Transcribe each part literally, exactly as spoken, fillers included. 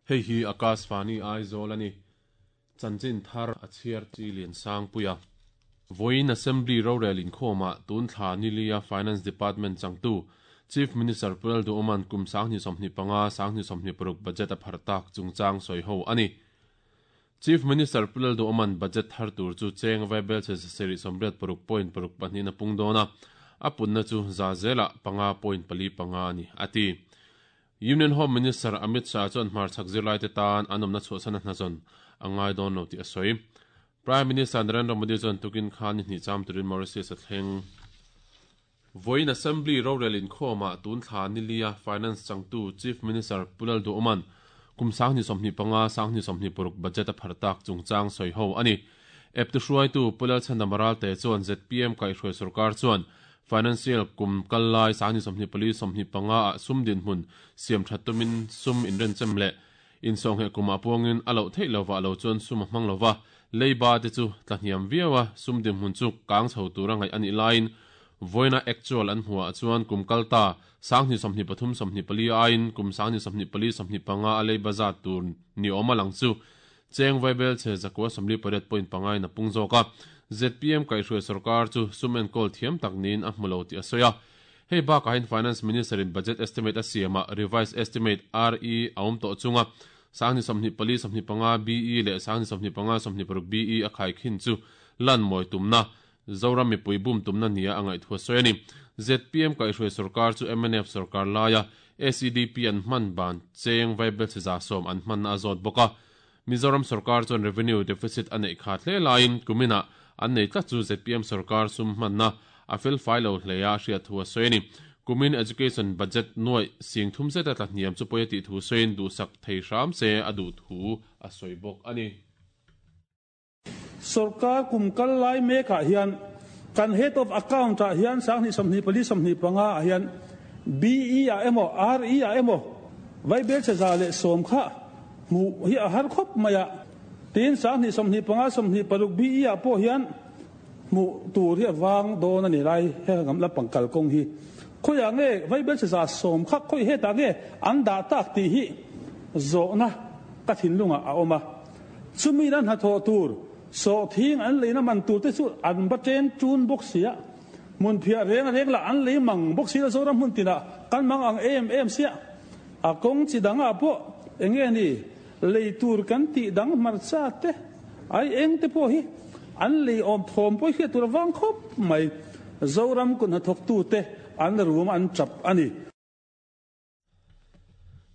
Hei hi Akashvani Aizawl ani. Chanchin thar a chhiar chi lian sang puia. Voin Assembly rorel inkhawmah tun thla nilia Finance Department changtu Chief Minister Pulal Duoman kum sanghni sawmhnih panga sanghni sawmhnih paruk budget a phar tak chungchang sawi ho ani. Chief Minister Pulal Duoman budget thar tur chu cheng vaibel che seri somriat paruk point paruk pahnih na pung dawna a punna chu za zela panga point pali panga ani ati. Union Home Minister Amit Shah chuan hmar chhak zirlai te tan an awmna chhuahsan a hnazawn a ngai dawn lo tih a sawi. Prime Minister Narendra Modi chuan tukin khan ni hnih cham turin Mauritius a thleng. Voin Assembly rorel inkhawmah tun thla nilia Finance changtu Chief Minister Pulal Duoman kum sanghni sawmhnih panga sanghni sawmhnih paruk budget a phar tak chungchang sawi ho ani. Eptu hruaitu Pulal Chandamaral te chuan Z P M kaihhruai sarkar chuan financial kum kallai sanghni sawmhnih pali sawmhnih panga ah sum din hmun siam that tumin sum inren chem le insawng he kuma puangin a loh theih lova lo chuan sum a hmang lova leiba te chu tlahniam viawa sum din hmun chu kang chho tura ngai ani lain voina actual an hmuah chuan kum kalta sanghni sawmhnih pathum sawmhnih pali aiin kum sanghni sawmhnih pali sawmhnih panga a leiba zat tur ni awm a lang chu cheng vaibel che zakua sawmli pariat point panga in a pung zawk a. Z P M kaihhruai sarkar chu sum enkawl thiam tak niin a hmu lo tih a sawi a. Hei bakah hian Finance Minister in budget estimate a siamah revised estimate R E a awm tawh chunga sanghni sawmhnih pali sawmhnih panga B E leh sanghni sawmhnih panga sawmhnih paruk B E a khai khin chu lan mawi tumna Zoram mipui bum tumna nia a ngaih thu a sawi ani. Z P M kaihhruai sarkar chu M N F sarkar laia A C D P an hman ban cheng vaibel che za sawm an hman a zawt bawk a. Mizoram sarkar chuan revenue deficit a neih khat hle laiin kumina an nei tlat chu Z P M sarkar sum hmanna a fel fai lo hleia hriat thu a sawi ani. Kumin education budget nuai sing thum zet a tlahniam chu pawi a tih thu sawiin duhsak thei hram se a duh thu a sawi bawk ani. Sarkar kum kal lai mekah hian kan head of account ah hian sanghni sawmhnih pali sawmhnih panga ah hian B E a emaw R E a emaw vaibel che za leh sawm kha hmu hi a har khawp mai a. Tin sanghni sawmhnih panga sawmhnih paruk B E ah pawh hian hmu tur hi a vang dawn ani lai he ngam la pangkal kawng hi khoiah nge vaibel che za sawm kha khoi hetah nge an dah tak tih hi zawhna ka thinlungah a awm a. Chumi nan hnathawh tur so thing an leina man tur te chu an ba chen chun bawk sia mun phia reng reng la an lei mang bawk sia Zoram hmun tina kan mang ang em em sia a kawng chi danga pawh enge ni lei tur kan ti dang hmarcha te ai eng te pawh hi an lei awm thawm pawh hi tur awang khawp mai Zoram kun hnathawk tu te an rum an chap ani.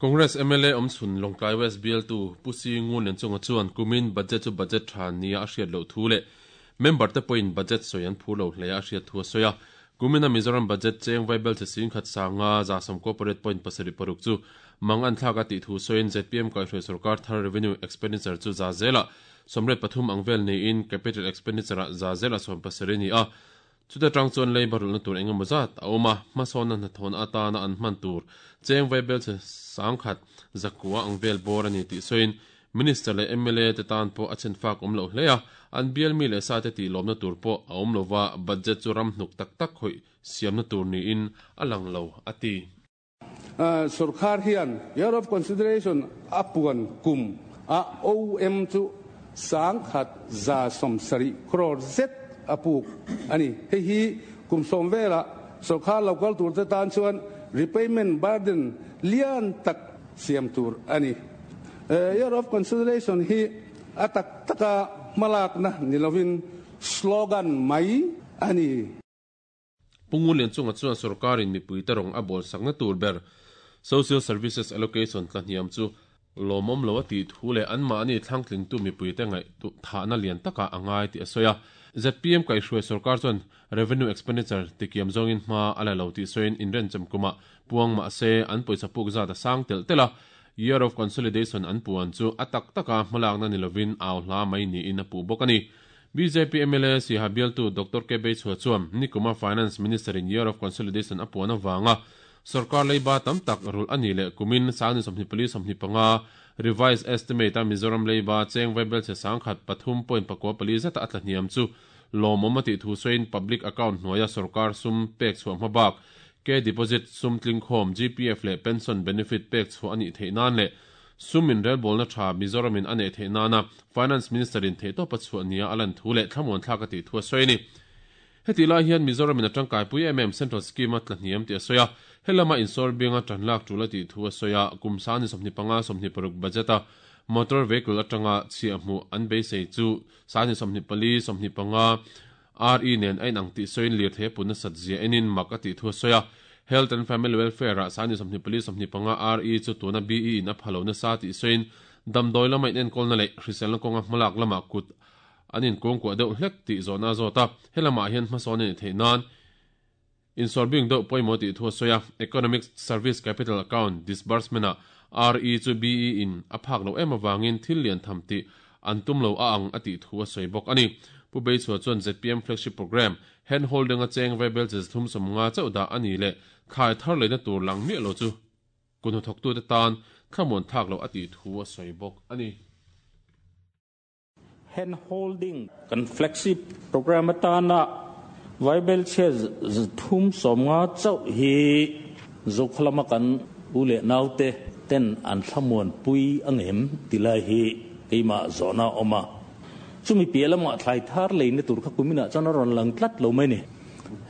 Congress M L A awmchhun Lawngtlai West B L tu Pusi Ngun len chunga chuan kumin budget chu budget tha nia a hriat loh thu leh member te pawhin budget sawi an phur lo hle a hriat thu a sawi a. Kumina Mizoram budget cheng vaibel che sing khat sanga za sawm corporate point pasarih paruk chu mang an thlak a tih thu sawiin Z P M kaihhruai sarkar thar revenue expenditure chu za zela sawmriat pathum ang vel niin capital expenditure ah za zela sawm pasarih ni a. Chuta tang chuan leiba rulna tur engemaw zat a awm a, hmasawnna hnathawhna atana an hman tur cheng vaibel che sangkhat zakua ang vel bawr ani tih sawiin Minister leh M L A te tan pawh a chen fak awm lo hle a, an bial mi leh sa te tih lawmna tur pawh a awm lova budget chu ram hnuk tak tak khawih siamna tur niin a lang lo a ti. Sarkar hian year of consideration a puan kum a O M chu sangkhat za sawmsarih crore zet a puk ani. Hei hi kum sawm vela sarkar local tur te tan chuan repayment burden lian tak siam tur ani. Year of consideration hi a tak taka malak na nilovin slogan mai ani. Pungun lian chunga chuan sarkarin mipui te rawng a bawl sakna tur ber social services allocation tlahniam chu lawmawm lo a tih thu leh an mahni thlangtling tu mipui te ngaih tu thahna lian taka a ngai tih a sawi a. Z P M kaihhruai sarkar chuan revenue expenditure tikiam zawngin hma a la lo tih sawiin inren chemkuma puang mah se an pawisa puk zat a sang tel tel a. Year of consolidation an puan chu a tak taka hmalakna nilovin au hla mai niin a puh bawk ani. B J P M L A Siha bialtu Doctor K Beichhua chuan nikuma Finance Minister in Year of Consolidation a puan awanga sarkar leiba tam tak rul ani leh kumin sangni sawmhnih pali sawmhnih panga revised estimate a Mizoram leiba cheng vaibel che sangkhat pathum point pakua pali zeta a tlahniam chu lawmawm a tih thu sawiin public account hnuaia sarkar sum pek chhuah hmabak ke deposit sum tling khawm G P F leh pension benefit pek chhuah ani theih nan leh Sumin relbol na tha Mizoramin ane theina na Finance Minister in theito pachu ania alan thule thlamuan thlaka ti thua soini. Heti lai hian Mizoramin atangkai pui mm Central Scheme a tlahniam ti asoya helama insor binga tanlak tula ti thua soya kumsani somni panga somni paruk budget a motor vehicle atanga chiahmu an beisei chu sani somni pali somni panga R E nen ain ang ti soin lir the puna satzia enin makati thua soya Health and Family Welfare a sani somni pali somni panga R E chu tuna B E in a phalo na sa ti soin damdoi lama in enkol na le hrisel na konga hmalak lama kut anin kong ko deuh hlek ti zona zota helama hian hmasawn ni theinan insorbing deuh pawimawh ti thua soya Economic Service Capital Account disbursement a R E chu B E in a phak lo em awangin thil lian tham ti an tum lo a ang ati thua soi bawk ani. Pu Beichhua chuan Z P M flagship program hand holding a cheng vaibel che thum som nga chauh ani le khai thar leina tur lang mi lo chu kunu thok tu te tan thlamuan thak lo ati thua soi bawk ani. Hand holding kan flagship program atana vaibel che thum som nga chauh hi zokhlama kan ule naute ten an thlamuan pui angem tilai hi keima zona oma chumi pialama thlai thar leina tur kha kumina chana ron lang tlat lo mai ni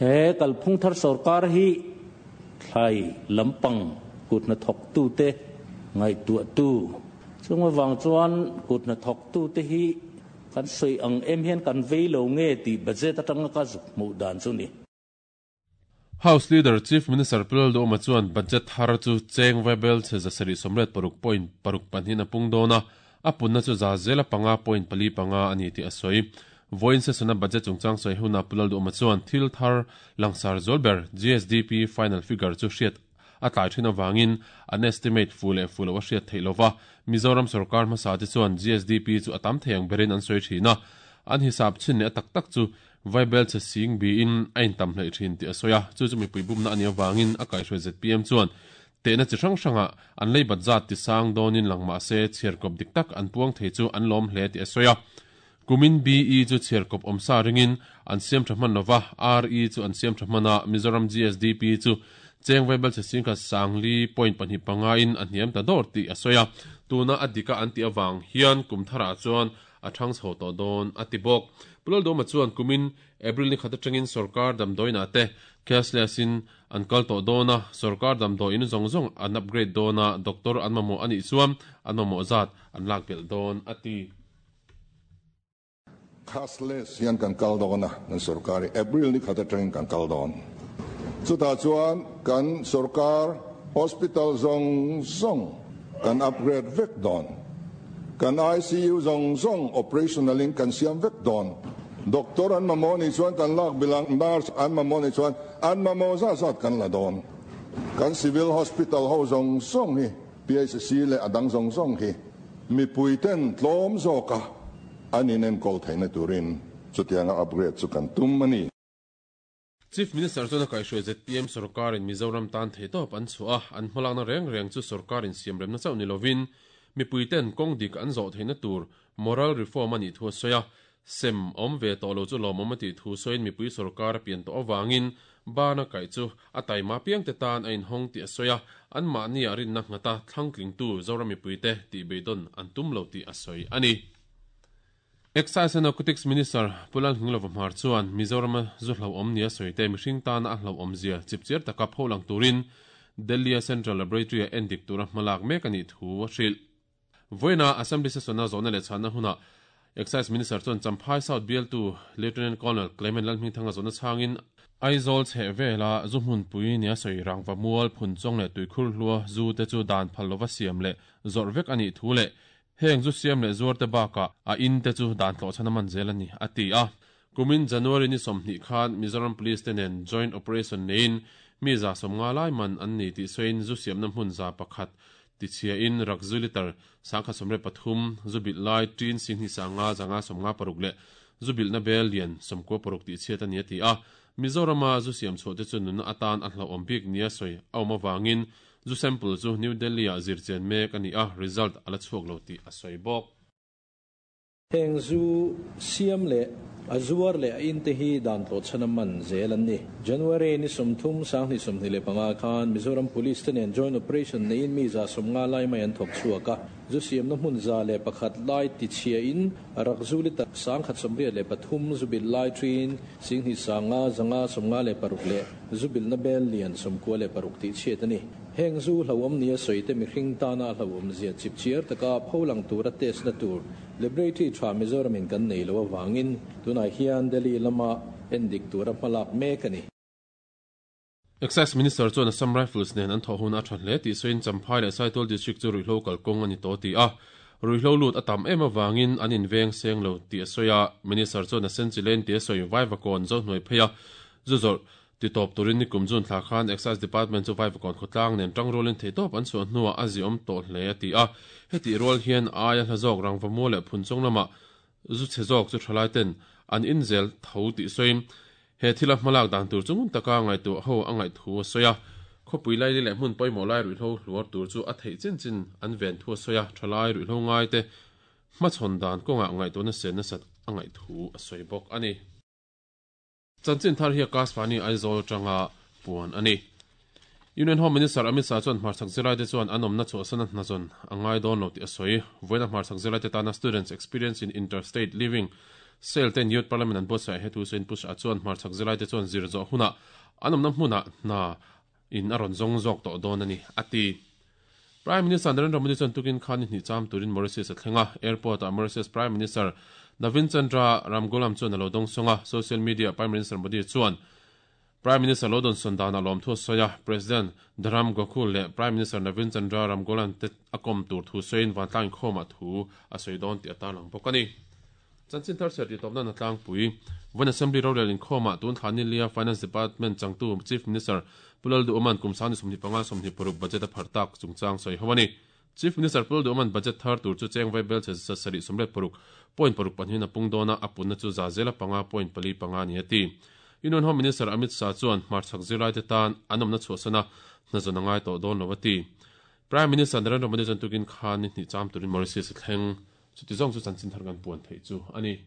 he kalphung thar sarkar hi thlai lampang kutna thok tu te ngai tu tu chungwa wang chuan kutna thok tu te hi kan soi ang em hian kan vei lo nge ti budget atanga ka zuk mu dan chu ni. House Leader Chief Minister Pulal Doma chuan budget thar chu cheng vaibel che zasari somret paruk point paruk panhin apung dona apunna chu za zela panga point pali panga ani ti asoi. Voin session a budget chungchang soi huna Pulal Doma chuan thil thar langsar zolber G S D P final figure chu hriat atlai thin awangin an estimate fule fulo a hriat theilova Mizoram sarkar hmasa te chuan G S D P chu atam theiang berin an soi thina an hisap chin ne tak tak chu vaibel che sing bi in ain tam hlei thin ti asoya chu chu mipui bumna ani awangin a kaihhruai Z P M chuan te na chi hrang hranga an lei bat zat ti sang dawnin langma se chhiarkawp dik tak an puang thei chu an lawm hle ti asoya kumin B E chu chhiarkawp awmsa ringin an siam tha hman lova R E chu an siam tha hmana Mizoram G S D P chu cheng vaibel che sing kha sangli point pahnih panga in a hniam ta dawr ti asoya tuna adika an ti awang hian kumthara chuan a thang chho tawh dawn ati bawk. Pulal Doma chuan kumin April ni khat atangin sarkar damdawiina te cashless in an kal tawh dawna sarkar damdawiin zawng zawng an upgrade dawna doctor an mamawh anih chuan an mamawh zat an lak belh dawn ati. Cashless hian kan kal dawna kan sarkar April ni khat atangin kan kal dawn chutah chuan kan sarkar hospital zawng zawng kan upgrade vek dawn kan I C U zawng zawng operationalin kan siam vek dawn doctor an mamawh ni chuan kan lak bilang nurse an mamawh ni chuan an mamawh zat zat kan la dawn kan civil hospital ho zawng zawng hi P H C leh a dang zawng zawng hi mipui ten tlawm zawka an inenkawl theihna turin chutianga upgrade chu kan tum ani. Chief Minister chuan a kaihhruai Z P M sarkarin Mizoram tan theitawp an chhuah a an hmalakna reng reng chu sarkarin siam remna chauh ni lovin mipui ten kawng dik an zawh theihna tur moral reform ani thu soya sem awm ve tawh lo chu lawmawm ati thu soin mipui sarkar a pian tawh awangin bana kai chu a taima piang te tan a inhawng ti a soya an mahni a rinna nghata thlangtling tu Zoram mipui te tih beidawn an tum lo tih a sawi ani. Excise and Narcotics Minister Pulal Hninglova Hmar chuan Mizoram zu hlo awm nia sawite mihring tana a hlo awm zia chipchiar taka pholang turin Delhi Central Laboratory a endik tura hmalak mek ani thu a hrilh. Voina Assembly session a zawhna leh chhanna huna Excise Minister chuan Champhai South B L two Lieutenant Colonel Clement Lalhmingthanga zawhna chhangin Aizawl chheh vela zu hmunpui nia sawi rangva mual phun chawng leh tuikhur hlua zu te chu dan phal lova siam leh zawrh vek ani thu leh heng zu siam leh zuar te baka a in te chu dan tlawh chhana man zel ani ati a. Kumin January ni sawmhnih khan Mizoram Police te nen joint operation nein mi za sawmnga lai man an ni tih sawiin zu siamna hmun za pakhat ti chhia in rakzu liter sangkhat sawmriat pathum zu bilh lai tin singhnih sanga zanga sawmnga paruk leh zu bilhna bel lian sawmkua paruk tih chhiat ani ati a. Mizorama zu siam chhuah te chu nunna atan a hlauhawm bik nia sawi a awm awangin zu sample chu New Delhi a zirchen mek ani a result ala chhuak lo tih a sawi bawk. Heng zu siam leh a zuar leh a in te hi dan tawh chhan a man zel an ni. January ni sawmthum sanghnih sawmhnih leh panga khan Mizoram Police te nen joint operation neiin mi za sawmnga lai mai an thawk chhuak a. Zu siamna hmun za leh pakhat lai tichhia in rak zu liter sangkhat sawmriat leh pathum zu bil lai thin singhnih sanga zanga sawmnga leh paruk leh zu bilna bel lian sawmkua leh paruk tih chhiat a ni. Heng zu hlauhawm nia sawi te mihring tana hlauhawm zia chip chiar taka pholang tura test na tur laboratory tha Mizoramin kan nei lo awangin tunah hian Delhi lama endik tura hmalak mek a ni. Excise Minister chuan Assam Rifles nen an thawh hun a tha hle tih sawiin Champhai leh Saitual District chu ruihhlo kalkawng a ni tawh ti a. Ruihhlo lut a tam em awangin an inveng seng lo tih a sawi a. Minister chuan a sen chilen tih a sawi Vaivakawn zo hnuai phei a. Zu zawrh ti tawp turin nikum June thla khan Excise Department chu Vaivakawn khawtlang nen tang rualin theitawp an chhuah hnuah a ziawm tawh hle a ti a. Heti rual hian aia hla zawk rangvamual leh phunchawng lamah zu chhe zawk chu thalai ten an inzel tho tih sawiin he thila hmalak dan tur chu ngun taka ngaihtuah ho a ngaih thu a sawi a. Khawpui lai leh hmun pawimawh lai ruihhlo hluar tur chu a theih chin chin an ven thu a sawi a. Thalai ruihhlo ngai te hmachhawn dan kawngah ngaihtuahna sen nasat a ngaih thu a sawi bawk a ni. Chanchin thar hi Akashvani Aizawl atanga puan a ni. Union Home Minister Amit Shah chuan hmarchhak zirlai te chuan an awmna chhuahsan a hnazawn a ngai dawn lo tih a sawi. Vawiin a hmarchhak zirlai te tana Students Experience in Interstate Living Sale ten Youth Parliament an buatsaih he thu sawiin Pu Shah chuan hmarchhak zirlai te chuan zir zawh hunah an awmna hmunah hna in a rawn zawng zawk tawh dawn a ni a ti. Prime Minister Narendra Modi chuan tukin khan ni hnih cham turin Mauritius a thleng a. Airport ah Mauritius Prime Minister Navin Chandra Ramgoolam chuan a lo dawng sawng a. Social media Prime Minister Modi chuan Prime Minister lo dawn sawn danah lawm thu a sawi a. President Dharam Gokhool leh Prime Minister Navin Chandra Ramgoolam te a kawm tur thu sawiin vantlang inkhawmah thu a sawi dawn tih a tarlang bawk a ni. Chanchin thar chhiar tih tawpna na tlangpui. Vawiin Assembly rorel inkhawmah tun thla ni lia Finance Department changtu Chief Minister Pu Lalduhoma'n kum sang ni sawmhnih panga sawmhnih paruk budget a pharh tak chungchang sawi ho a ni. Chief Minister Pu Lalduhoma'n budget thar tur chu cheng vai bel chhe sarih sawmriat paruk point paruk pahnihin a pung dawn a, a punna chu za zela panga point pali panga ni a ti. Union Home Minister Amit Shah chuan hmarchhak zirlai te tan an awmna chhuahsan a hnazawn a ngai tawh dawn lo a ti. Prime Minister Narendra Modi chuan tukin khan ni hnih cham turin Mauritius a thleng. Chuti zawng chu chanchin thar kan puan theih chu a ni.